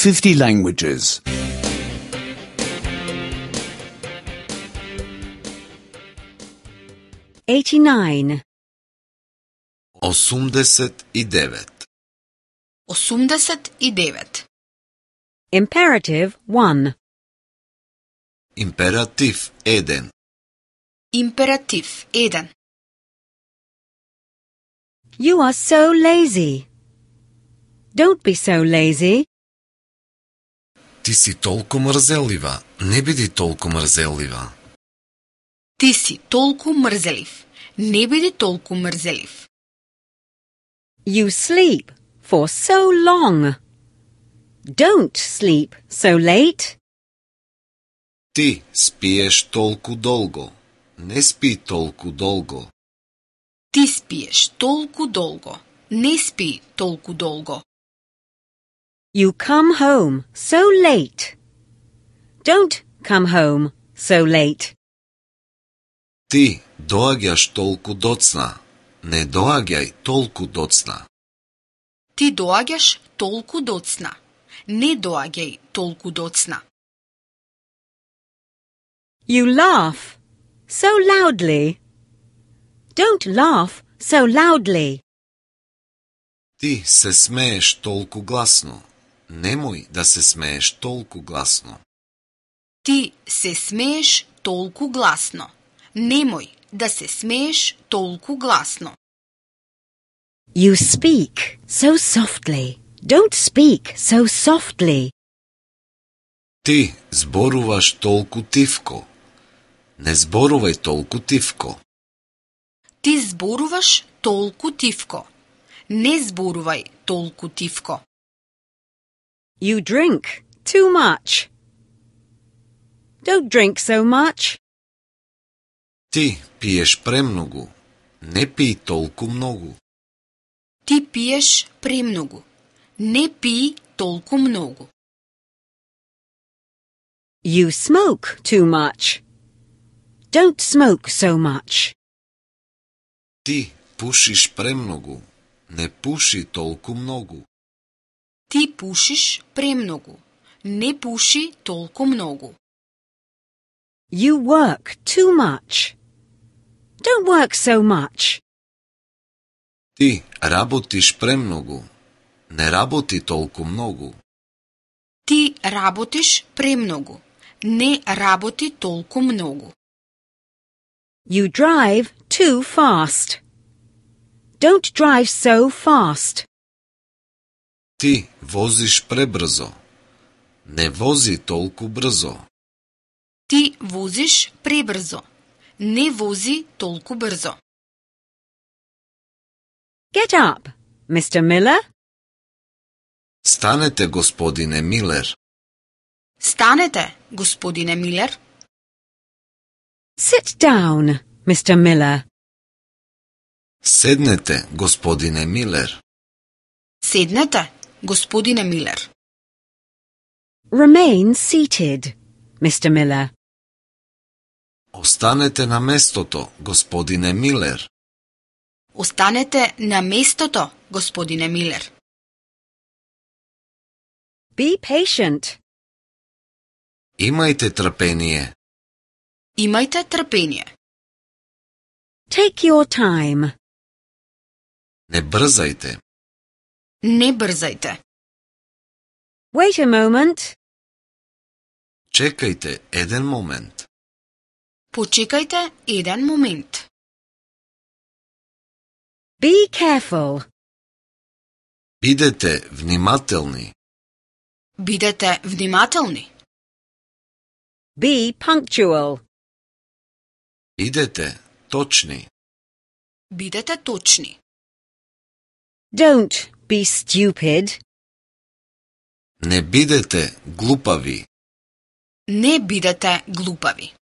50 languages. 89. 89. 89. Imperative 1. Императив 1. Императив 1. You are so lazy. Don't be so lazy. Ти си толку мрзелива. Не биди толку мрзелива. Ти си толку мрзелив. Не биди толку мрзелив. You sleep for so long. Don't sleep so late. Ти спиеш толку долго. Не спи толку долго. Ти спиеш толку долго. Не спи толку долго. You come home so late. Don't come home so late. Ти доаѓаш толку доцна. Не доаѓај толку доцна. Ти доаѓаш толку доцна. Не доаѓај толку доцна. You laugh so loudly. Don't laugh so loudly. Ти се смееш толку гласно. Немој да се смееш толку гласно. Ти се смееш толку гласно. Немој да се смееш толку гласно. You speak so softly. Don't speak so softly. Ти зборуваш толку тивко. Не зборувај толку тивко. Ти зборуваш толку тивко. Не зборувај толку тивко. You drink too much. Don't drink so much. Ти пиеш премногу. Не пий толку многу. Ти пиеш премногу. Не пий толку многу. You smoke too much. Don't smoke so much. Ти пушиш премногу. Не пуши толку многу. Ти пушиш премногу. Не пуши толку многу. You work too much. Don't work so much. Ти работиш премногу. Не работи толку многу. Ти работиш премногу. Не работи толку многу. You drive too fast. Don't drive so fast. Ти возиш пребрзо. Не вози толку брзо. Ти возиш пребрзо. Не вози толку брзо. Get up, Mr. Miller. Станете, господине Милер. Станете, господине Милер. Sit down, Mr. Miller. Седнете, господине Милер. Седнете, господине Милер. Remain seated, Mr. Miller. Останете на местото, господине Милер. Останете на местото, господине Милер. Be patient. Имајте трпение. Имајте трпение. Take your time. Не брзајте. Не брзајте. Wait a moment. Чекајте еден момент. Почекајте еден момент. Be careful. Бидете внимателни. Бидете внимателни. Be punctual. Бидете точни. Бидете точни. Don't be stupid. Не бидете глупави. Не бидете глупави.